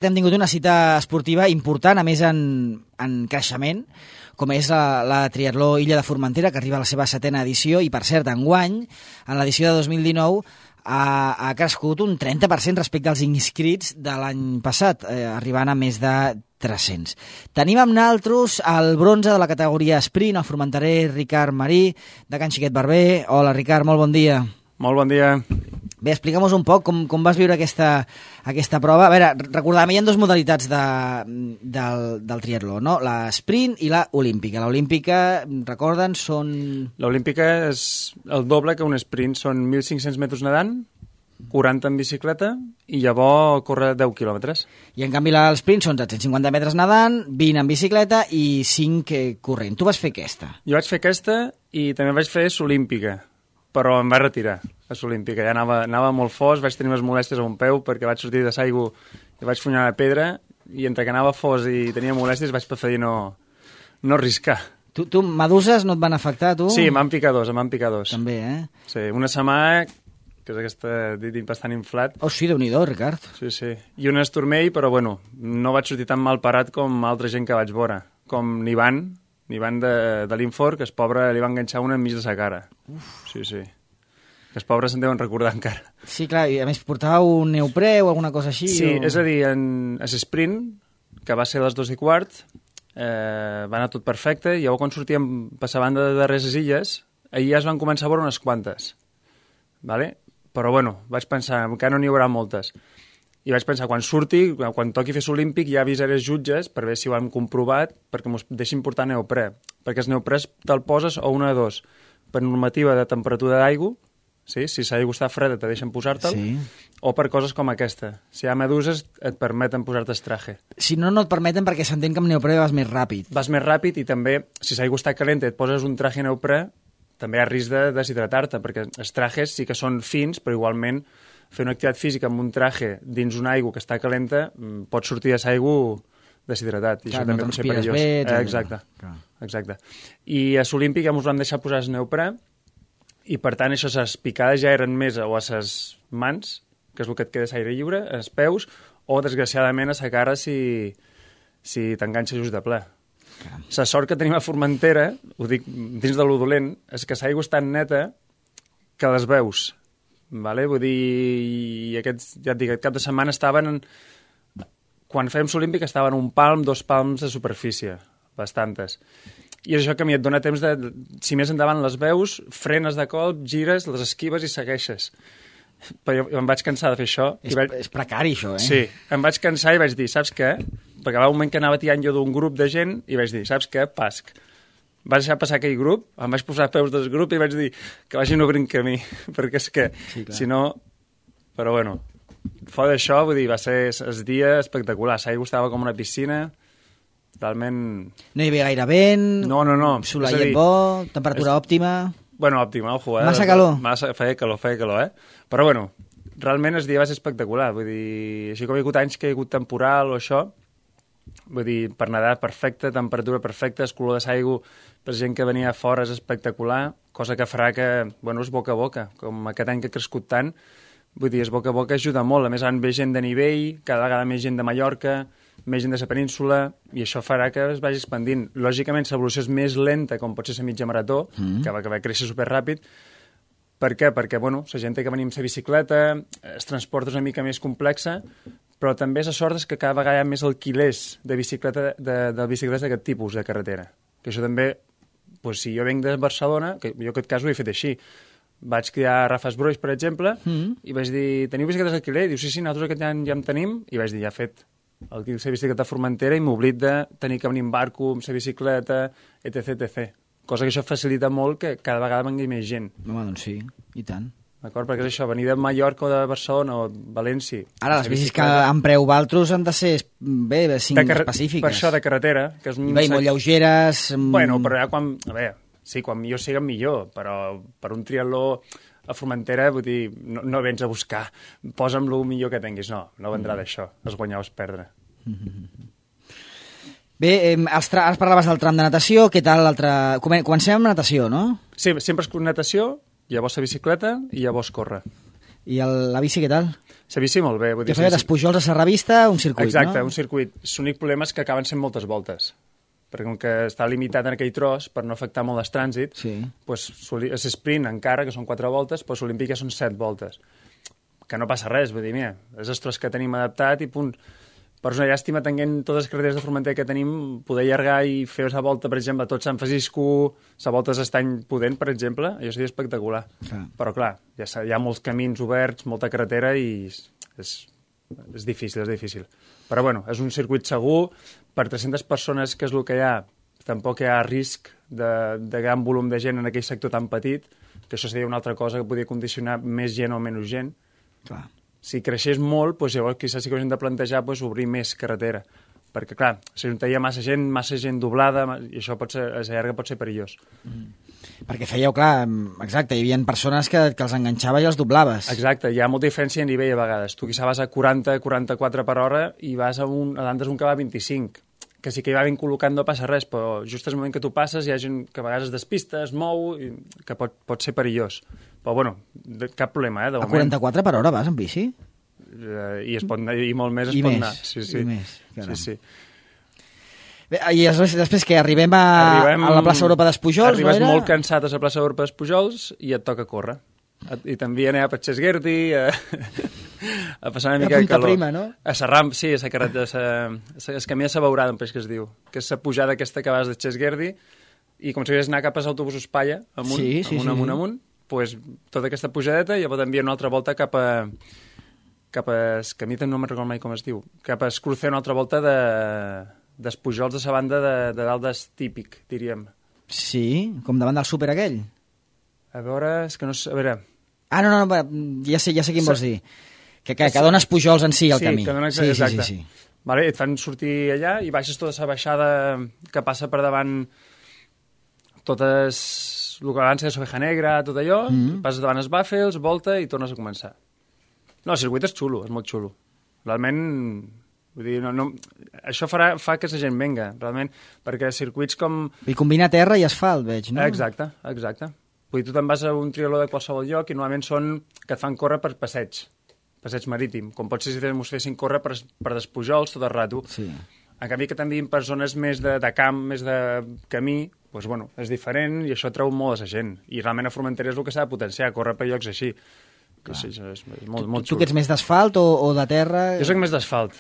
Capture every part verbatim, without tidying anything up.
Hem tingut una cita esportiva important, a més en, en creixement, com és la, la Triatló Illa de Formentera, que arriba a la seva setena edició, i per cert, enguany, en l'edició de dos mil dinou, ha, ha crescut un trenta per cent respecte als inscrits de l'any passat, eh, arribant a més de tres-cents. Tenim amb naltros el bronze de la categoria sprint, el formenterer Ricard Marí, de Can Xiquet Barber. Hola, Ricard, molt bon dia. Molt bon dia. Bé, explica'm-nos un poc com, com vas viure aquesta, aquesta prova. A veure, recordàvem, hi ha dues modalitats de, del, del triatló, no? La sprint i la olímpica. La olímpica, recorden, són... L'olímpica és el doble que un sprint. Són mil cinc-cents metres nedant, quaranta en bicicleta i llavors córrer deu quilòmetres. I en canvi l'esprint són set-cents cinquanta metres nedant, vint en bicicleta i cinc corrent. Tu vas fer aquesta? Jo vaig fer aquesta i també vaig fer l'olímpica, però em vaig retirar a l'olímpica. Ja anava, anava molt fos, vaig tenir unes molèsties a un peu perquè vaig sortir de l'aigua i vaig funyar la pedra, i entre que anava fos i tenia molèsties vaig preferir no, no arriscar. Tu, tu, meduses no et van afectar, tu? Sí, m'han picat dos, m'han picat dos. També, eh? Sí, una setmana, que és aquesta dit bastant inflat. Oh, sí, Déu-n'hi-do, Ricard. Sí, sí. I un esturmell, però bueno, no vaig sortir tan mal parat com altra gent que vaig veure, com n'Ivan, n'Ivan de, de l'Infor, que es pobre li va enganxar una enmig de sa cara. Uf. Sí, sí. Que els pobres se'n deuen recordar encara. Sí, clar, i a més portava un neoprè o alguna cosa així? Sí, o... és a dir, en l'esprint, que va ser a les dues i quart, eh, va anar tot perfecte, i llavors quan sortíem per la banda de darrere les illes, ahir ja es van començar a veure unes quantes. Vale? Però bueno, vaig pensar, encara no n'hi haurà moltes. I vaig pensar, quan surti, quan toqui fer l'olímpic, ja avisaré els jutges per veure si ho hem comprovat, perquè mos deixin portar neoprè. Perquè els neoprès te'l poses o una de dos, per normativa de temperatura d'aigua, sí? Si l'aigua està freda te deixen posar-te'l, sí. O per coses com aquesta. Si hi ha meduses et permeten posar-te el traje. Si no, no et permeten perquè s'entén que amb neoprè vas més ràpid. Vas més ràpid i també, si l'aigua està calenta i et poses un traje neoprè, també hi ha risc de deshidratar-te, perquè els trajes sí que són fins, però igualment fer una activitat física amb un traje dins una aigua que està calenta pot sortir de l'aigua deshidratat. I clar, això no també pot ser perillós. Bé, eh, exacte. exacte. I a l'olímpic ja ens vam deixar posar el neoprè, i per tant això, les picades ja eren més o a les mans, que és el que et queda l'aire lliure, als peus, o desgraciadament a la cara si, si t'enganxa just de ple. La sort que tenim a Formentera, ho dic dins de lo dolent, és que l'aigua és tan neta que les veus. Vale? Vull dir, i aquests, ja et dic, aquest cap de setmana estaven, en... quan fèiem l'olímpic estaven un palm, dos palms de superfície, bastantes. I és això que a mi et dona temps de, si més endavant les veus, frenes de colp, gires, les esquives i segueixes. Però jo em vaig cansar de fer això. És, vaig... és precari, això, eh? Sí, em vaig cansar i vaig dir, saps què? Perquè va un moment que anava tirant jo d'un grup de gent i vaig dir, saps què? Pasc. Vaig deixar passar aquell grup, em vaig posar a peus del grup i vaig dir que vagin obrint camí, perquè és que, sí, si no... Però bueno, fora d'això, vull dir, va ser el dia espectacular. L'aigua estava com una piscina... Realment... No hi havia gaire vent... No, no, no. Soleiet bo, temperatura és... òptima... Bueno, òptima, ojo, eh? Massa calor. Massa, feia calor, feia calor, eh? Però bueno, realment el dia va ser espectacular. Vull dir, així com hi ha hagut anys que hi ha hagut temporal o això, vull dir, per nedar perfecte, temperatura perfecta, el color de l'aigua, per gent que venia a fora és espectacular, cosa que farà que, bueno, és boca a boca. Com aquest any que ha crescut tant, vull dir, és boca a boca ajuda molt. A més, han ve gent de nivell, cada vegada més gent de Mallorca, més gent de la península, i això farà que es vagi expandint. Lògicament, l'evolució és més lenta, com pot ser la mitja marató, mm. que va, que va créixer superràpid. Per què? Perquè, bueno, la gent té que venir amb la bicicleta, el transport és una mica més complexa, però també la sort és que cada vegada hi ha més alquilers de, bicicleta, de, de bicicletes d'aquest tipus de carretera. Que això també, pues, si jo venc de Barcelona, que jo aquest cas ho he fet així, vaig cridar a Rafa Esbroix, per exemple, mm. i vaig dir, teniu bicicletes d'alquiler? Diu, sí, sí, nosaltres aquest any ja en tenim, i vaig dir, ja fet. El que la bicicleta a Formentera i m'oblit de tenir que venir en barco amb la bicicleta, etc, etcètera. Cosa que això facilita molt que cada vegada vengui més gent. Home, doncs sí, i tant. D'acord? Perquè és això, venir de Mallorca o de Barcelona o València... Ara, les bicis bicicleta... que en preu valtros han de ser, bé, cinc car... específiques. Per això, de carretera. Que és un... Bé, i molt lleugeres... Bueno, però ja quan... A veure, sí, quan millor sigui millor, però per un triatló a Formentera, vull dir, no, no vens a buscar, posa'm el millor que tinguis. No, no vendrà mm. d'això, es guanyar o es perdre. Mm-hmm. Bé, eh, tra... ara parlaves del tram de natació, què tal l'altre... Comencem amb natació, no? Sí, sempre és natació, llavors la bicicleta i llavors córrer. I el, la bici què tal? La bici molt bé. Vull dir, Que feia d'Espujols a Serravista, un circuit, exacte, no? un circuit. L'únic problema és que acaben sent moltes voltes, perquè com que està limitat en aquell tros, per no afectar molt el trànsit, Sí. pues, és sprint encara, que són quatre voltes, però l'Olímpic ja són set voltes. Que no passa res, vull dir, mira, és el tros que tenim adaptat i punt. Però és una llàstima tenint totes les carreteres de Formentera que tenim, poder allargar i fer la volta, per exemple, a tot Sant Francisco, la volta d'Estany Pudent, per exemple, això seria espectacular. Clar. Però clar, ja hi ha molts camins oberts, molta carretera i és, és difícil, és difícil. Però bueno, és un circuit segur, per tres-centes persones, que és el que hi ha, tampoc hi ha risc de, de gran volum de gent en aquell sector tan petit, que això seria una altra cosa que podria condicionar més gent o menys gent. Clar. Si creixés molt, doncs llavors quizás sí que hauríem de plantejar doncs, obrir més carretera. Perquè, clar, si juntaria massa gent, massa gent doblada, i això pot ser, a la llarga pot ser perillós. Mm. Perquè fèieu, clar, exacte, hi havia persones que, que els enganxava i els doblaves. Exacte, hi ha molta diferència a nivell a vegades. Tu quizás vas a quaranta quaranta-quatre per hora i vas a un, a l'Andes un que va a vint-i-cinc, que sí que hi va ben col·locant, no passa res, però just al moment que tu passes hi ha gent que a vegades es despista, es mou, i que pot, pot ser perillós. Però, bueno, de, cap problema, eh, de A moment. quaranta-quatre per hora vas en bici? Uh, I es pot anar, i molt més es I pot més, anar. Sí, sí. i més, caram. Sí, sí. Bé, I després, després que arribem a, Arribem, a la plaça Europa d'Espujols, arribes no era? molt cansat a la plaça Europa d'Espujols i et toca córrer. I t'envien a Patxesguerdi, a, a passar una mica A de punta calor. prima, no? A Serram, sí, a la carretera, a el camí de la Beurada, em penso que es diu, que és la pujada aquesta que vas de Xesguerdi, i com si hagués anar cap als autobusos Palla, amunt, Sí, sí, amunt, sí. amunt, amunt, pues, tota aquesta pujadeta, i llavors t'envien una altra volta cap a cap a, que a mi no me'n recordo mai com es diu, cap a Escrucer una altra volta de d'Espujols de la banda de, de dalt d'Estípic, diríem. Sí, com davant del súper aquell. A veure, és que no sé, a veure... Ah, no, no, va, ja sé, ja sé quin Sí. vols dir. Que, que, que dones Pujols en si, el sí, camí. que dona, sí, sí, exacte. sí, sí. Vale, et fan sortir allà i baixes tota la baixada que passa per davant totes... el que abans era Soveja Negra, tot allò, mm -hmm. passes davant els Bàfels, volta i tornes a començar. No, el circuit és xulo, és molt xulo. Realment, vull dir, no, no, això farà, fa que la gent venga, realment, perquè circuits com... I combina terra i asfalt, veig, no? Exacte, exacte. Vull dir, tu te'n vas a un triatló de qualsevol lloc i normalment són que et fan córrer per passeig, passeig marítim, com pot ser si ens fessin córrer per, per Despujols tot el rato. Sí. En canvi que t'envien per zones més de, de camp, més de camí, doncs, bueno, és diferent i això treu molt a la gent. I realment a Formentera és el que s'ha de potenciar, córrer per llocs així. Que sí, és, és molt, molt Tu xulo. que ets més d'asfalt o, o de terra? Jo soc més d'asfalt.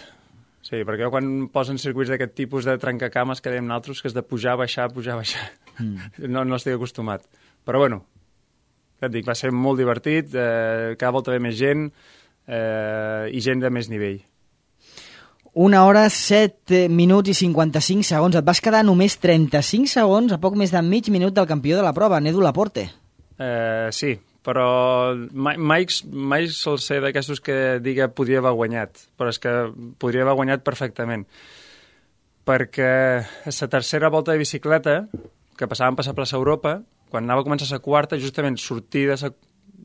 Sí, perquè jo quan posen circuits d'aquest tipus de trencacames que dèiem nosaltres, que és de pujar, baixar, pujar, baixar, mm. no, no estic acostumat. Però bueno, ja et dic, va ser molt divertit, eh, cada volta ve més gent eh, i gent de més nivell. Una hora, set minuts i cinquanta-cinc segons. Et vas quedar només trenta-cinc segons a poc més de mig minut del campió de la prova, Nedu Laporte. Eh, sí, però mai, mai, mai sol ser d'aquestos que diga podria haver guanyat, però és que podria haver guanyat perfectament. Perquè a la tercera volta de bicicleta, que passàvem per la plaça Europa, quan anava a començar la quarta, justament sortir de la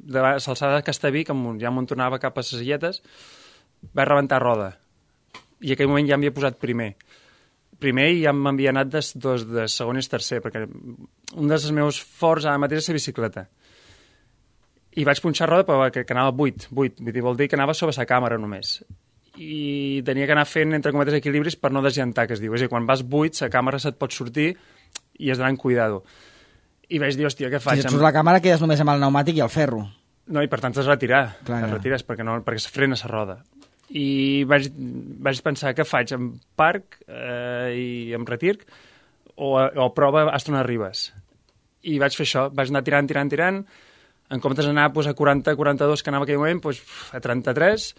de l'alçada de Castellví, que ja m'on tornava cap a les Illetes, vaig rebentar roda. I en aquell moment ja m'havia posat primer. Primer i ja m'havia anat de, dos, de segon i tercer, perquè un dels meus forts ara mateix és la bicicleta. I vaig punxar roda, però que, que anava vuit, vuit, vull dir, vol dir que anava sobre la càmera només. I tenia que anar fent, entre cometes, equilibris per no desllantar, que es diu. És a dir, quan vas vuit, la càmera se't pot sortir i has d'anar amb cuidado. I vaig dir, hòstia, què faig? Si et surt la càmera, quedes només amb el pneumàtic i el ferro. No, i per tant has de retirar. Clar, es ja. retires perquè, no, perquè es frena la roda. I vaig, vaig pensar, què faig? Em parc eh, i em retir o, o prova hasta on arribes? I vaig fer això, vaig anar tirant, tirant, tirant, en comptes d'anar pues, a quaranta quaranta-dos que anava en aquell moment, pues, a trenta-tres,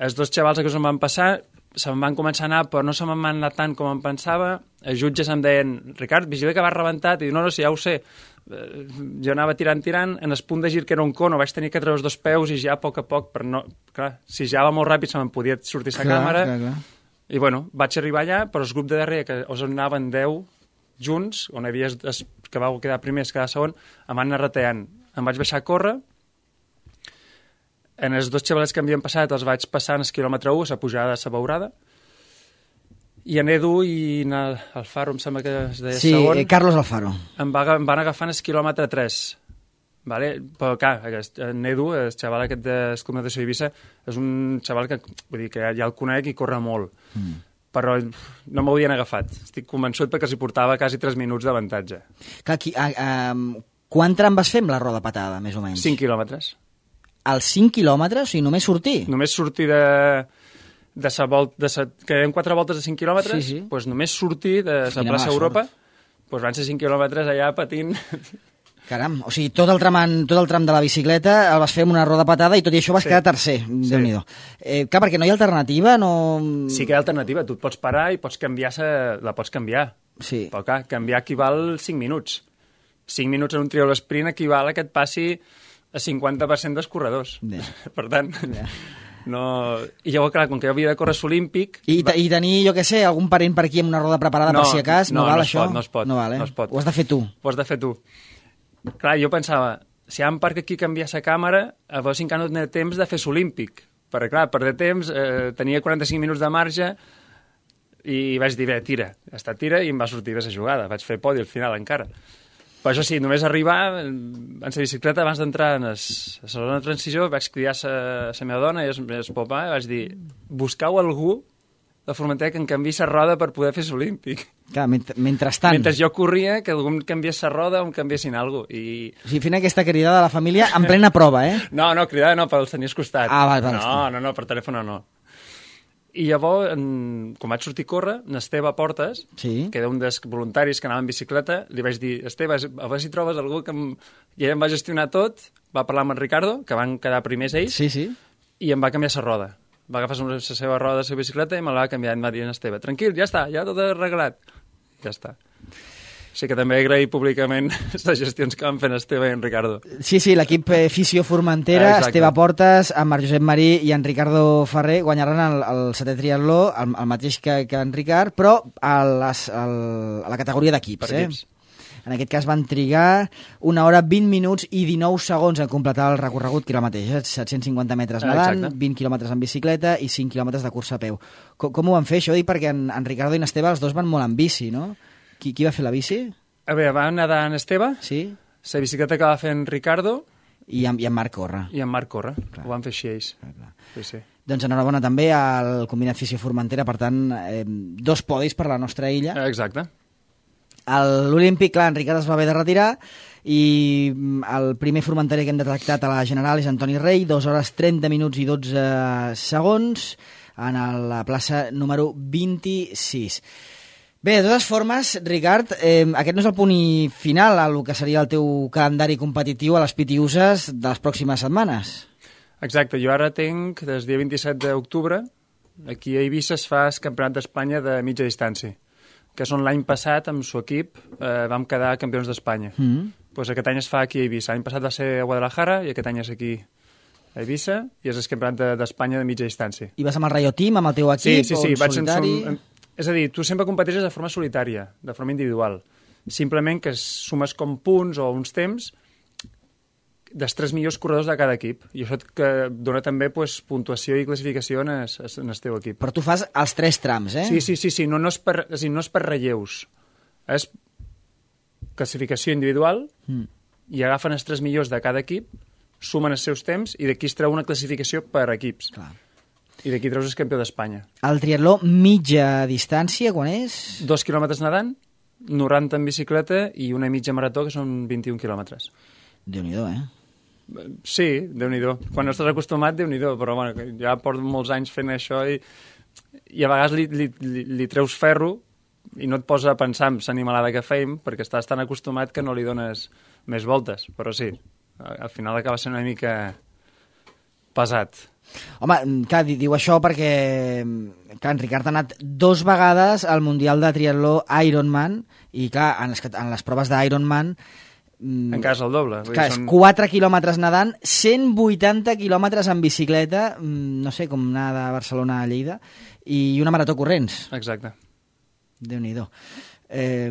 els dos xavals que se'm van passar se'm van començar a anar, però no se me'n van anar tant com em pensava. Els jutges em deien, Ricard, vigila que vas rebentat, i dic, no, no, sí, ja ho sé. Jo anava tirant, tirant, en el punt de gir que era un cono, vaig tenir que treure els dos peus i ja a poc a poc, per no... Clar, si ja va molt ràpid se me'n podia sortir la càmera. Clar, clar. I bueno, vaig arribar allà, però el grup de darrere, que us anaven deu junts, on hi havia es, que vau quedar primers, cada segon, em van anar rateant. Em vaig baixar a córrer, en els dos xavalets que m'havien passat els vaig passar en el quilòmetre u, a la pujada de la Beurada, i en Edu i en Alfaro, em sembla que es deia Sí, segon, eh, Carlos Alfaro. em, va, em van agafar en el quilòmetre tres. vale? Però, clar, aquest, en Edu, el xaval aquest d'Escombatació d'Eivissa, és un xaval que, vull dir, que ja el conec i corre molt. Mm. Però no m'ho havien agafat. Estic convençut perquè s'hi portava quasi tres minuts d'avantatge. Clar, aquí, a, a, quan tram vas fer amb la roda patada, més o menys? cinc quilòmetres. Els cinc quilòmetres? O sigui, només sortir? Només sortir de... de sa volta, de sa, que eren quatre voltes de cinc quilòmetres, sí, sí. Doncs només sortir de la plaça Europa, doncs van ser cinc quilòmetres allà patint. Caram, o sigui, tot el, tram, tot el tram de la bicicleta el vas fer amb una roda patada i tot i això vas sí. quedar tercer, sí. Déu-n'hi-do. Eh, clar, perquè no hi ha alternativa, no... Sí que hi ha alternativa, tu et pots parar i pots canviar, la pots canviar. Sí. Però clar, canviar equival cinc minuts. cinc minuts en un trial sprint equival a que et passi a cinquanta per cent dels corredors. Yeah. Per tant, yeah. no... I llavors, clar, com que jo havia de córrer l'Olímpic... I, va... I tenir, jo què sé, algun parent per aquí amb una roda preparada no, per si a cas, no, no val no això? Pot, no es pot, no val, eh? no es pot. Ho has de fer tu. Ho has de fer tu. Clar, jo pensava, si hi ha un parc aquí canviar la càmera, a veure si encara no tenia temps de fer l'Olímpic. Perquè, clar, per de temps, eh, tenia quaranta-cinc minuts de marge i vaig dir, bé, tira. Ja està, tira, i em va sortir bé la jugada. Vaig fer podi al final encara. Però això sí, només arribar en la bicicleta abans d'entrar en la zona de transició vaig cridar a la meva dona i el papà i vaig dir, buscau algú de Formentera que em canviï la roda per poder fer l'Olímpic. Clar, ment mentrestant. Mentre jo corria, que algú em canviés la roda o em canviessin alguna cosa. I... O sigui, fent aquesta cridada a la família en plena prova, eh? No, no, cridada no, per els tenies costat. Ah, val, val. No, no, no, per telèfon no. I llavors, en, com vaig sortir a córrer, n'Esteve Portes, sí. que era un dels voluntaris que anava en bicicleta, li vaig dir, Esteve, a veure si trobes algú que em... I ell em va gestionar tot, va parlar amb en Ricardo, que van quedar primers ells, sí, sí. I em va canviar la roda. Va agafar la seva roda de la seva bicicleta i me la va canviar, em va dir en Esteve, tranquil, ja està, ja tot arreglat. Ja està. Sí que també agrair públicament les gestions que van fer en Esteve i en Ricardo. Sí, sí, l'equip eh, Fisio Formentera, ah, Esteve Portes, en Marc Josep Marí i en Ricardo Ferrer guanyaran el, el setè triatló, el, el mateix que, que en Ricard, però a, les, el, a la categoria d'equips. Eh? En aquest cas van trigar una hora, vint minuts i dinou segons en completar el recorregut, que era el mateix, eh? set-cents cinquanta metres nedant, ah, vint quilòmetres en bicicleta i cinc quilòmetres de cursa a peu. Com, com ho van fer, això? Dic perquè en, en Ricardo i en Esteve els dos van molt en bici, no? Qui, qui va fer la bici? A veure, va nedar en Esteve, sí. La bicicleta que va fer en Ricardo... I en, i en Marc corre. I en Marc corre, clar. Ho van fer així ells. Clar, clar. Sí, sí. Doncs enhorabona també al Combinat Fisio Formentera, per tant, eh, dos podis per la nostra illa. Exacte. L'Olímpic, clar, en Ricard es va haver de retirar i el primer formenterer que hem detectat a la general és Antoni Rei, dues hores trenta minuts i dotze segons en la plaça número vint-i-sis. Bé, de totes formes, Ricard, eh, aquest no és el punt final a el que seria el teu calendari competitiu a les Pitiuses de les pròximes setmanes. Exacte, jo ara tinc, des del dia vint-i-set d'octubre, aquí a Eivissa es fa el Campionat d'Espanya de mitja distància, que és on l'any passat, amb el seu equip, eh, vam quedar campions d'Espanya. Mm -hmm. Pues aquest any es fa aquí a Eivissa. L'any passat va ser a Guadalajara i aquest any és aquí a Eivissa i és el Campionat d'Espanya de mitja distància. I vas amb el Rayo Team, amb el teu equip, sí, sí, sí, o en solitari? En, és a dir, tu sempre competeixes de forma solitària, de forma individual. Simplement que sumes com punts o uns temps dels tres millors corredors de cada equip. I això que dona també pues, puntuació i classificació en el, en el teu equip. Però tu fas els tres trams, eh? Sí, sí, sí, sí. No, no, és per, és dir, no és per relleus. És classificació individual mm. i agafen els tres millors de cada equip, sumen els seus temps i d'aquí es treu una classificació per equips. Clar. I d'aquí treus el campió d'Espanya. El triatló mitja distància, quan és? Dos quilòmetres nedant, noranta en bicicleta i una mitja marató, que són vint-i-un quilòmetres. Déu-n'hi-do, eh? Sí, Déu-n'hi-do. Quan no estàs acostumat, Déu-n'hi-do, però bueno, ja porto molts anys fent això i, i a vegades li, li, li, li treus ferro i no et posa a pensar en l'animalada que feim perquè estàs tan acostumat que no li dones més voltes, però sí, al final acaba sent una mica pesat. Home, clar, diu això perquè clar, en Ricard ha anat dos vegades al Mundial de Triatló Ironman i clar, en les, en les proves d'Ironman encara és el doble. Clar, és són... quatre quilòmetres nedant, cent vuitanta quilòmetres en bicicleta, no sé, com anar de Barcelona a Lleida, i una marató corrents. Exacte. Déu-n'hi-do. Eh,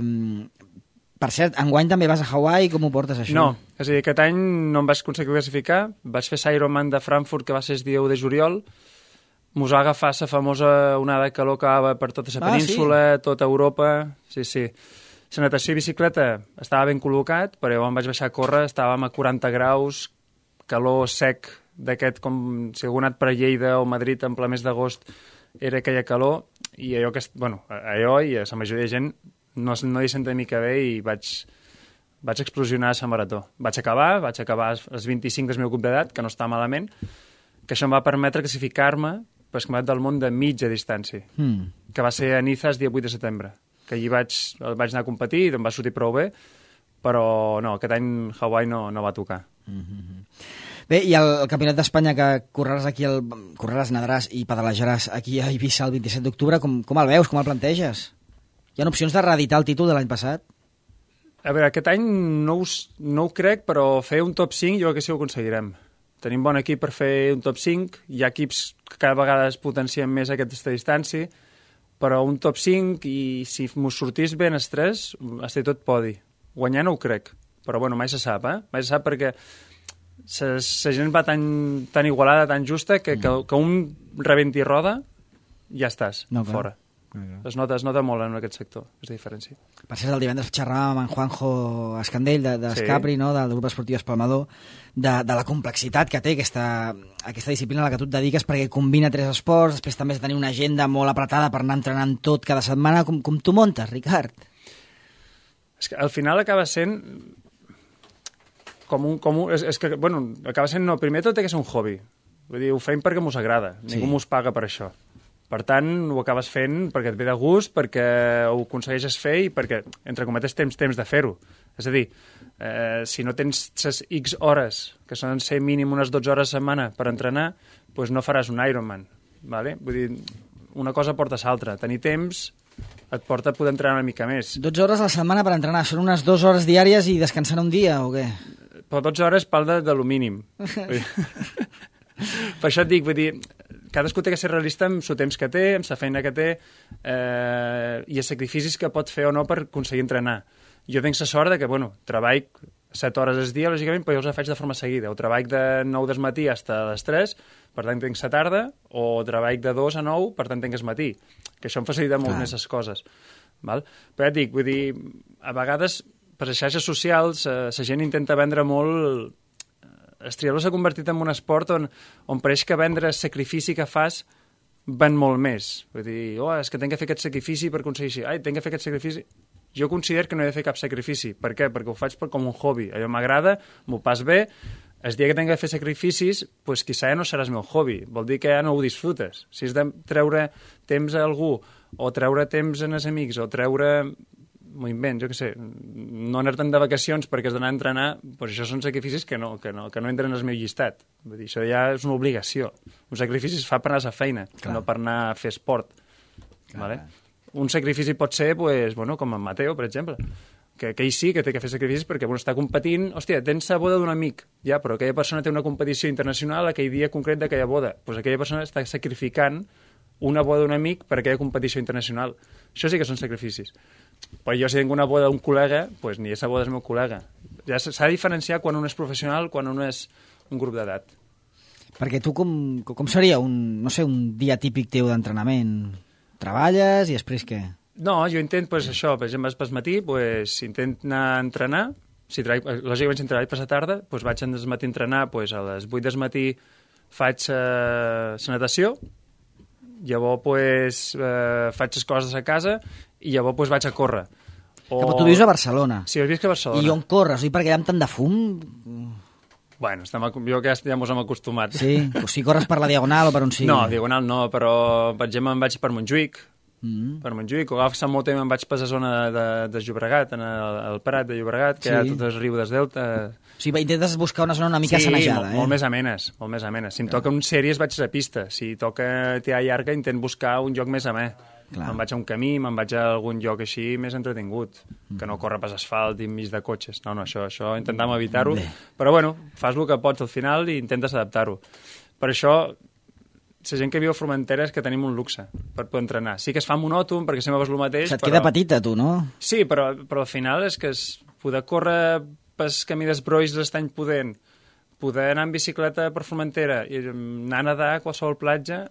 per cert, enguany també vas a Hawaii, com ho portes, això? No, és a dir, aquest any no em vaig aconseguir classificar, vaig fer l'Ironman de Frankfurt, que va ser el dia u de juliol, mos va agafar la famosa onada de calor que va per tota la península, ah, sí? Tota Europa, sí, sí. La natació i bicicleta estava ben col·locat, però jo em vaig baixar a córrer, estàvem a quaranta graus, calor sec d'aquest, com si algú ha anat per Lleida o Madrid en ple mes d'agost, era aquella calor, i allò que, bueno, allò i a la majoria de gent no, no hi senta mica bé i vaig, vaig explosionar a la marató. Vaig acabar, vaig acabar als vint-i-cinc del meu grup d'edat, que no està malament, que això em va permetre classificar-me per el campionat del món de mitja distància, mm. que va ser a Niza el dia vuit de setembre, que allí vaig, vaig anar a competir i em va sortir prou bé, però no, aquest any Hawaii no, no va tocar. Mm-hmm. Bé, i el, el Campionat d'Espanya que correràs aquí, el, correràs, nadaràs i pedalejaràs aquí a Eivissa el vint-i-set d'octubre, com, com el veus, com el planteges? Hi ha opcions de reeditar el títol de l'any passat? A veure, aquest any no, us, no ho crec, però fer un top cinc jo crec que sí ho aconseguirem. Tenim bon equip per fer un top cinc, hi ha equips que cada vegada es potencien més aquesta distància, però un top cinc, i si m'ho sortís ben els tres, estic tot podi. Guanyar no ho crec, però bueno, mai se sap, eh? Mai se sap perquè la gent va tan, tan igualada, tan justa, que, mm. que, que un rebenti roda, ja estàs, no, fora. Okay. Es nota, es nota molt en aquest sector, és la diferència. Per cert, el divendres xerràvem amb en Juanjo Escandell de, de Escapri, sí. no? Del grup esportiu Espalmador, de, de la complexitat que té aquesta, aquesta disciplina a la que tu et dediques, perquè combina tres esports, després també has de tenir una agenda molt apretada per anar entrenant tot cada setmana. Com, com tu muntes, Ricard? És que al final acaba sent com un... Com un és, és que, bueno, acaba sent... No, primer tot té que ser un hobby. Vull dir, ho fem perquè mos agrada. Sí. Ningú mos paga per això. Per tant, ho acabes fent perquè et ve de gust, perquè ho aconsegueixes fer i perquè, entre cometes, tens temps de fer-ho. És a dir, eh, si no tens les X hores, que solen ser mínim unes dotze hores a setmana per entrenar, doncs no faràs un Ironman. Vale? Vull dir, una cosa porta a l'altra. Tenir temps et porta a poder entrenar una mica més. dotze hores a la setmana per entrenar. Són unes dues hores diàries i descansant un dia, o què? Però dotze hores pal de, de lo mínim. Per això et dic, vull dir, cadascú té que ser realista amb el temps que té, amb la feina que té, eh, i els sacrificis que pot fer o no per aconseguir entrenar. Jo tinc la sort de que, bueno, treball set hores al dia, lògicament, però jo els faig de forma seguida. O treball de nou del matí fins a les tres, per tant tinc la tarda, o treball de dos a nou, per tant tinc el matí. Que això em facilita molt més les coses. Val? Però ja et dic, vull dir, a vegades, per les xarxes socials, eh, la gent intenta vendre molt... El triatló s'ha convertit en un esport on, on pareix que vendre el sacrifici que fas ven molt més. Vull dir, oh, és que tinc que fer aquest sacrifici per aconseguir així. Ai, tinc que fer aquest sacrifici... Jo considero que no he de fer cap sacrifici. Per què? Perquè ho faig per, com un hobby. Allò m'agrada, m'ho pas bé. El dia que tinc que fer sacrificis, doncs quizà ja no serà el meu hobby. Vol dir que ja no ho disfrutes. Si és de treure temps a algú, o treure temps en els amics, o treure... m'ho invent, jo què sé, no anar-te'n de vacacions perquè has d'anar a entrenar, doncs això són sacrificis que no, que no, que no entren al meu llistat. Vull dir, això ja és una obligació. Un sacrifici es fa per anar a la feina, clar, no per anar a fer esport. Vale? Un sacrifici pot ser, pues, bueno, com en Mateo, per exemple, que, que ell sí que té que fer sacrificis perquè bueno, està competint, hòstia, tens la boda d'un amic, ja, però aquella persona té una competició internacional aquell dia concret d'aquella boda, doncs aquella persona està sacrificant una boda d'un amic per aquella competició internacional. Això sí que són sacrificis. Però jo si tinc una boda d'un col·lega, doncs ni aquesta boda és el meu col·lega. Ja s'ha de diferenciar quan un és professional, quan un és un grup d'edat. Perquè tu com, com seria un, no sé, un dia típic teu d'entrenament? Treballes i després què? No, jo intent, pues, això, per exemple, pel matí, pues, intent anar a entrenar, si treball, lògicament si treballo per la tarda, pues, vaig al matí a entrenar, pues, a les vuit del matí faig eh, la natació, llavors pues, eh, faig les coses a casa i llavors pues, vaig a córrer. O... Però tu vius a Barcelona. Sí, jo visc a Barcelona. I on corres? I perquè hi ha tant de fum? Bueno, estem, jo que ja mos hem acostumat. Sí, o si corres per la Diagonal o per on sigui. No, Diagonal no, però per exemple em vaig per Montjuïc, mm. per Montjuïc, o agafo Sant Motem i em vaig per la zona de, de Llobregat, en el, el Prat de Llobregat, que sí. Hi ha tot el riu del Delta. O sigui, intentes buscar una zona una mica sí, sanejada, molt, eh? molt més amenes, molt més amenes. Si em toca un sèries vaig a la pista, si toca tirar llarga intent buscar un lloc més amè. Clar. Me'n vaig a un camí, me'n vaig a algun lloc així més entretingut, mm. que no corre pas asfalt i enmig de cotxes. No, no, això, això intentem evitar-ho. Però bueno, fas el que pots al final i intentes adaptar-ho. Per això, la gent que viu a Formentera és que tenim un luxe per poder entrenar. Sí que es fa monòton perquè sempre vas el mateix. Se't però... queda petita, tu, no? Sí, però, però al final és que es poder córrer pel camí d'Esbroix l'Estany Pudent, poder anar en bicicleta per Formentera i anar a nedar a qualsevol platja,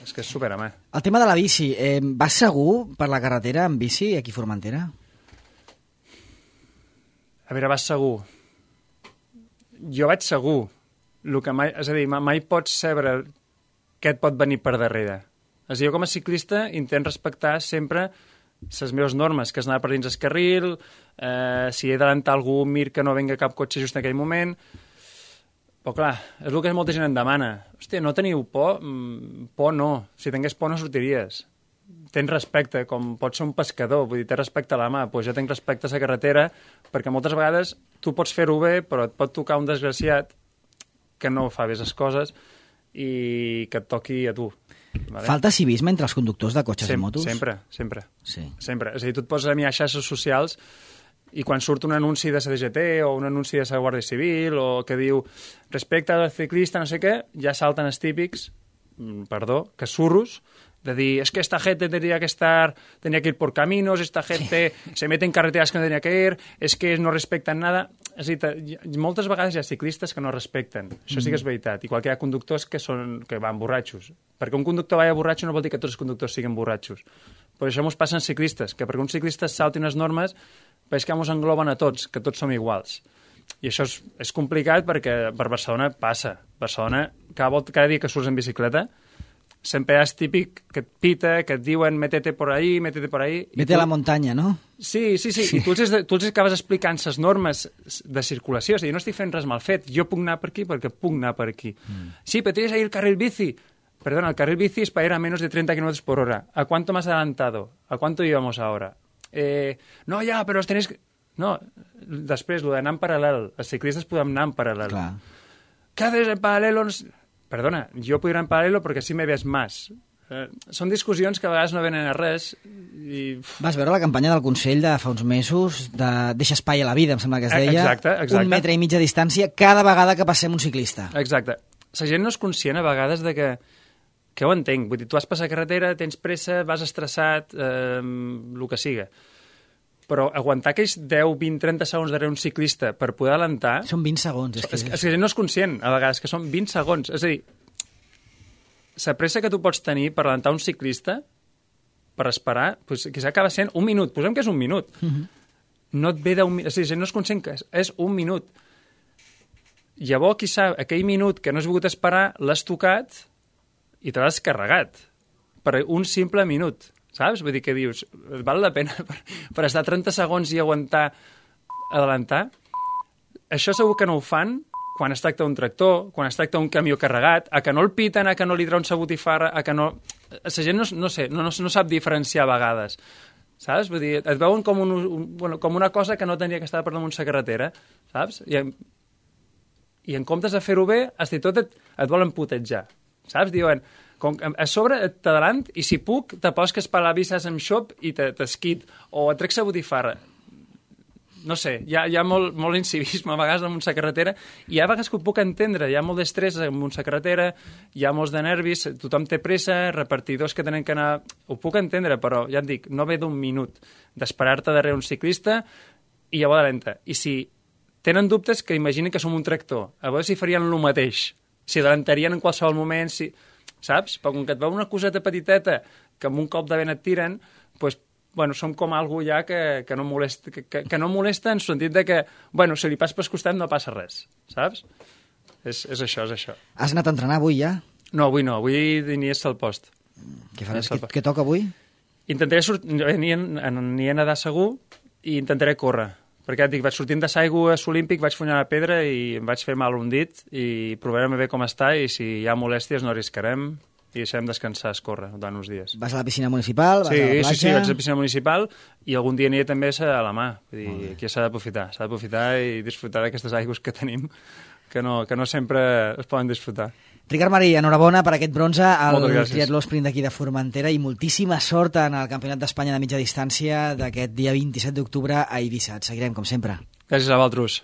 és que és superamè. El tema de la bici, eh, vas segur per la carretera amb bici aquí a Formentera? A veure, vas segur. Jo vaig segur. El que mai, és a dir, mai pots saber què et pot venir per darrere. És a dir, jo com a ciclista intent respectar sempre les meves normes, que és anar per dins el carril, eh, si he d'adelantar algú, mir que no venga cap cotxe just en aquell moment. Però clar, és el que molta gent em demana. Hòstia, no teniu por? Mm, por no. Si tingués por no sortiries. Tens respecte, com pots ser un pescador, vull dir, tens respecte a la mà, doncs jo tinc respecte a la carretera, perquè moltes vegades tu pots fer-ho bé, però et pot tocar un desgraciat que no fa bé les coses i que et toqui a tu. Vale? Falta civisme entre els conductors de cotxes Sem i motos? Sempre, sempre. Sí. Sempre. És a dir, tu et poses a mirar xarxes socials i quan surt un anunci de la D G T o un anunci de la Guàrdia Civil o que diu respecte al ciclista, no sé què, ja salten els típics, perdó, que surros, de dir, es que esta gente tendría que estar, tenía que ir por caminos, esta gente se mete en carreteras que no tenía que ir, es que no respecten nada. És a dir, moltes vegades hi ha ciclistes que no respecten. Això sí que és veritat. Igual que hi ha conductors que, són, que van borratxos. Perquè un conductor vaya borratxo no vol dir que tots els conductors siguin borratxos. Però això ens passa en ciclistes, que perquè un ciclista salti unes normes, veig que ens engloben a tots, que tots som iguals. I això és, és complicat perquè per Barcelona passa. Barcelona, cada, volta, cada dia que surts en bicicleta, sempre és típic que et pita, que et diuen métete por ahí, métete por ahí... Vete tu... a la muntanya, no? Sí, sí, sí, sí. I tu els, tu els acabes explicant les normes de circulació, és a dir, no estic fent res mal fet, jo puc anar per aquí perquè puc anar per aquí. Mm. Sí, pero tienes ahí el carril bici. Perdona, el carril bici es para ir a menos de treinta kilómetros por hora. ¿A cuánto más adelantado? ¿A cuánto íbamos ahora? Eh, no, ja, però os tenéis... No, després, el d'anar en paral·lel. Els ciclistes podem anar en paral·lel. Clar. ¿Qué haces en paralelo? Perdona, jo puc ir en paral·lelo perquè així me ves més. Eh, són discussions que a vegades no venen a res. I... Vas veure la campanya del Consell de fa uns mesos de deixa espai a la vida, em sembla que es deia. Exacte, exacte. Un metre i mig de distància cada vegada que passem un ciclista. Exacte. La gent no és conscient a vegades de que que ho entenc. Vull dir, tu vas passar carretera, tens pressa, vas estressat, eh, el que siga. Però aguantar aquells deu, vint, trenta segons darrere un ciclista per poder adelantar... Són vint segons. És que, és, és que la gent no és conscient, a vegades, que són vint segons. És a dir, la pressa que tu pots tenir per adelantar un ciclista, per esperar, doncs, quizà acaba sent un minut. Posem que és un minut. Uh -huh. No et ve d'un minut. És a dir, la gent no és conscient que és, és un minut. Llavors, quizà, aquell minut que no has volgut esperar, l'has tocat i te l'has carregat. Per un simple minut. Saps? Vull dir que dius, val la pena per, per estar trenta segons i aguantar adelantar? Això segur que no ho fan quan es tracta d'un tractor, quan es tracta d'un camió carregat, a que no el piten, a que no li treuen sa botifarra, a que no... La gent no, no sé, no, no, no sap diferenciar a vegades. Saps? Vull dir, et veuen com, un, un, bueno, com una cosa que no tenia que estar per damunt la carretera, saps? I en, i en comptes de fer-ho bé, fins i tot et, et volen putejar. Saps? Diuen... Com, a sobre t'adalant i si puc te posques per la visses amb xop i t'esquit o et trec sa botifarra. No sé, hi ha, hi ha molt, molt incivisme a vegades amb una carretera i hi ha vegades que ho puc entendre, hi ha molt d'estrès amb una carretera, hi ha molts de nervis, tothom té pressa, repartidors que tenen que anar... Ho puc entendre, però ja et dic, no ve d'un minut d'esperar-te darrere un ciclista i llavors adelanta. I si tenen dubtes, que imaginin que som un tractor, a veure si farien el mateix, si adelantarien en qualsevol moment, si... Saps? Però com que et veu una coseta petiteta que amb un cop de vent et tiren, doncs, bueno, som com algú ja que, que, no molesta, que, que, que no molesta en el sentit de que, bueno, si li pas per costat no passa res, saps? És, és això, és això. Has anat a entrenar avui ja? No, avui no, avui inies al post. Què faràs? Què, què toca avui? Intentaré sortir, n'hi he nedar segur i intentaré córrer. Perquè et dic, vaig sortint de l'aigua a l'Olímpic, vaig funyar la pedra i em vaig fer mal un dit i provarem bé com està i si hi ha molèsties no arriscarem i deixarem descansar a escórrer durant uns dies. Vas a la piscina municipal? Vas sí, a la platja? Sí, sí, vaig a la piscina municipal i algun dia aniré també a la mà. Vull dir, aquí s'ha d'aprofitar, s'ha d'aprofitar i disfrutar d'aquestes aigües que tenim que no, que no sempre es poden disfrutar. Ricard Marí, enhorabona per aquest bronze al triatló sprint d'aquí de Formentera i moltíssima sort en el Campionat d'Espanya de mitja distància d'aquest dia vint-i-set d'octubre a Eivissa. Et seguirem, com sempre. Gràcies a vosaltres.